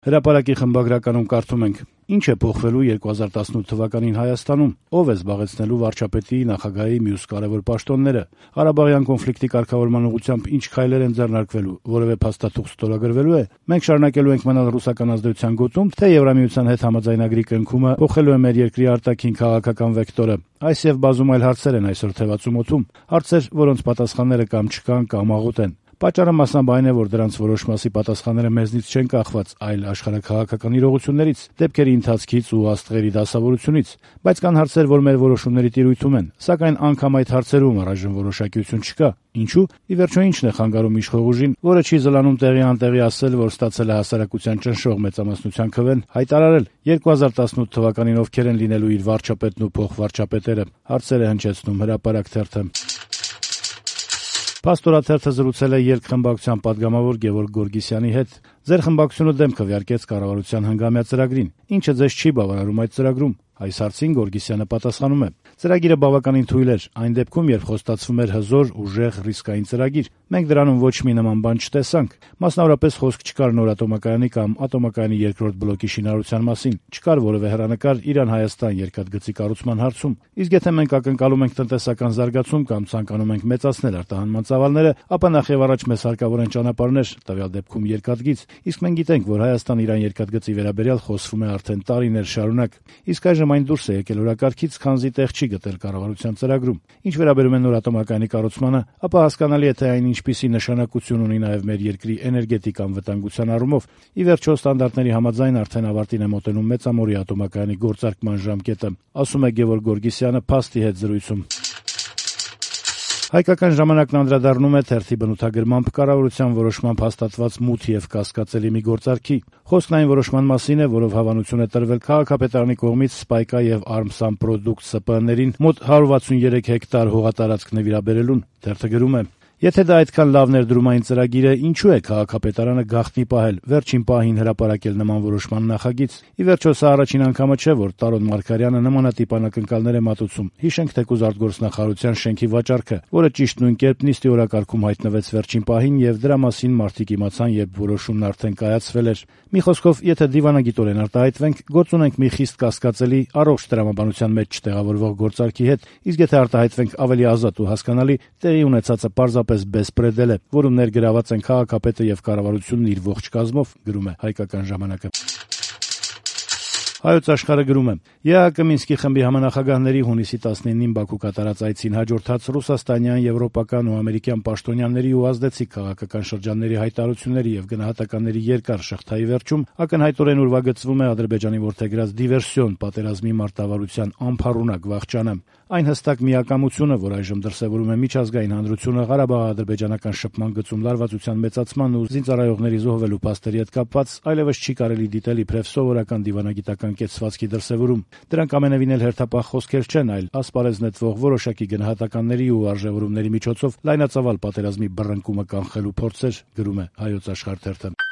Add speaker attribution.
Speaker 1: Հրապարակի խմբագրականում կարդում ենք. «Ինչ է փոխվելու 2018 թվականին Հայաստանում, ով է զբաղեցնելու վարչապետի, նախագահի մյուս կարևոր պաշտոնները, Ղարաբաղյան կոնֆլիկտի կարգավորման ուղղությամբ ինչ քայլեր են ձեռնարկվելու, որևէ փաստաթուղթ ստորագրվելու է, մենք շարունակելու ենք մնալ ռուսական ազդեցության գոտում, թե Եվրամիության հետ համաձայնագրի կնքումը փոխելու է մեր երկրի արտաքին քաղաքական վեկտորը։ Այս եւ բազում այլ հարցեր են այսօր թևածում օդում, հարցեր, որոնց պատասխանները կամ չկան, կամ աղոտ են։ Պատճառը մասամբ այն է, որ դրանց որոշ մասի պատասխանները մեզնից չեն կախված, այլ աշխարհաքաղաքական իրողություններից, դեպքերի ընթացքից ու աստղերի դասավորությունից, բայց կան հարցեր, որ մեր որոշումների տիրույթում են, սակայն անգամ այդ հարցերում առայժմ որոշակիություն չկա։ Ինչու՞։ Ի վերջո ինչ է խանգարում իշխող ուժին, որը չի զլանում տեղի անտեղի ասել, որ ստացել է հասարակության ճնշող մեծամասնության քվեն, հայտարարել 2018 թվականին ովքեր են լինելու իր վարչապետն ու փոխվարչապետերը, հարցեր է հնչեցնում Հրապարակ թերթը։ Փաստորաթերթը զրուցել է երկխմբակցության падգամավոր Գևորգ Գորգիսյանի հետ։ Ձեր խմբակցությունը դեմ քվեարկեց կառավարության հնգամյա ծրագրին։ Ինչը ձեզ չի բավարարում այդ ծրագրում։ Այս հարցին Գորգիսյանը պատասխանում է. ծրագիրը բավականին թույլ էր, այն դեպքում, երբ խոստացվում էր հզոր, ուժեղ, ռիսկային ծրագիր։ Մենք դրանում ոչ մի նման բան չտեսանք։ Մասնավորապես խոսք չկար նոր ատոմակայանի կամ ատոմակայանի երկրորդ բլոկի շինարարության մասին, չկար որևէ հեռանկար Իրան-Հայաստան երկաթգծի կառուցման հարցում։ Իսկ եթե մենք ակնկալում ենք տնտեսական զարգացում կամ ցանկանում ենք մեծացնել արտահանման ծավալները, ապա նախ եւ առաջ մեզ հարկավոր են ճանապարհներ, տվյալ դեպքում երկաթգիծ։ Իսկ մենք գիտենք, որ Հայաստան-Իրան երկաթգծի վերաբերյալ խոսվում է արդեն տարիներ շարունակ։ Իսկ այժմ այն դուրս է եկել օրակարգից, քանզի տեղ չի գտել կառավարության ծրագրում։ Ինչ վերաբերում է նոր ատոմակայանի կառուցմանը, ապա հասկանալի է, թե այն ինչպիսի նշանակություն ունի նաև մեր երկրի էներգետիկ անվտանգության առումով։ Ի վերջո ստանդարտների համաձայն արդեն ավարտին է մոտենում մեծամորի ատոմակայանի գործարկման ժամկետը, ասում է Գևորգ Գորգիսյանը փաստի հետ զրույցում։ Հայկական ժամանակն անդրադառնում է թերթի բնութագրմամբ կառավարության որոշմամբ հաստատված մութ եւ կասկածելի մի գործարքի։ Խոսքն այն որոշման մասին է, որով հավանություն է տրվել քաղաքապետարանի կողմից Սպայկա եւ Armsan Product ՍՊԸ-ներին մոտ 163 հեկտար հողատարածք նվիրաբերելուն։ Թերթը գրում է. Եթե դա այդքան լավ ներդրումային ծրագիր է, ինչու է քաղաքապետարանը գաղտնի պահել, վերջին պահին հրապարակել նման որոշման նախագիծ։ Ի վերջո սա առաջին անգամը չէ, որ Տարոն Մարգարյանը նմանատիպ անակնկալներ է մատուցում։ Հիշենք թեկուզ արտգործնախարարության շենքի վաճառքը, որը ճիշտ նույն կերպ նիստի օրակարգում հայտնվեց վերջին պահին եւ դրա մասին մարդիկ իմացան, երբ որոշումն արդեն կայացվել էր։ Մի խոսքով, եթե դիվանագիտորեն արտահայտվենք, գործ ունենք մի խիստ կասկածելի, առողջ տրամաբանության մեջ չտեղավորվող գործարքի հետ, իսկ եթե արտահայտվենք ավելի ազատ ու հասկանալի, տեղի ունեցածը պարզապես բեսպրեդել է, որում ներգրաված են քաղաքապետը եւ կառավարությունն իր ողջ կազմով, գրում է Հայկական ժամանակը։ Հայոց աշխարհը գրում է. ԵԱՀԿ Մինսկի խմբի համանախագահների հունիսի 19-ին Բաքու կատարած այցին հաջորդած ռուսաստանյան, եվրոպական ու ամերիկյան պաշտոնյաների ու ազդեցիկ քաղաքական շրջանների հայտարարությունների եւ գնահատականների երկար շղթայի վերջում ակնհայտորեն ուրվագծվում է Ադրբեջանի որդեգրած դիվերսիոն պատերազմի մարտավարության անփառունակ վախճանը։ Այն հստակ միակամությունը, որ այժմ դրսևորում է միջազգային հանրությունը Ղարաբաղ-ադրբեջանական շփման գծում լարվածության մեծացման ու զինծառայողների զոհվելու փաստերի հետ կապված, այլևս չի կարելի դիտել իբրև սովորական դիվանագիտական կեցվածքի դրսևորում։ Դրանք ամենևին էլ հերթապահ խոսքեր չեն, այլ ասպարեզ նետվող որոշակի գնահատականների ու արժևորումների միջոցով լայնածավալ պատերազմի բռնկումը կանխելու փորձեր, գրում է Հայոց աշխարհ թերթը։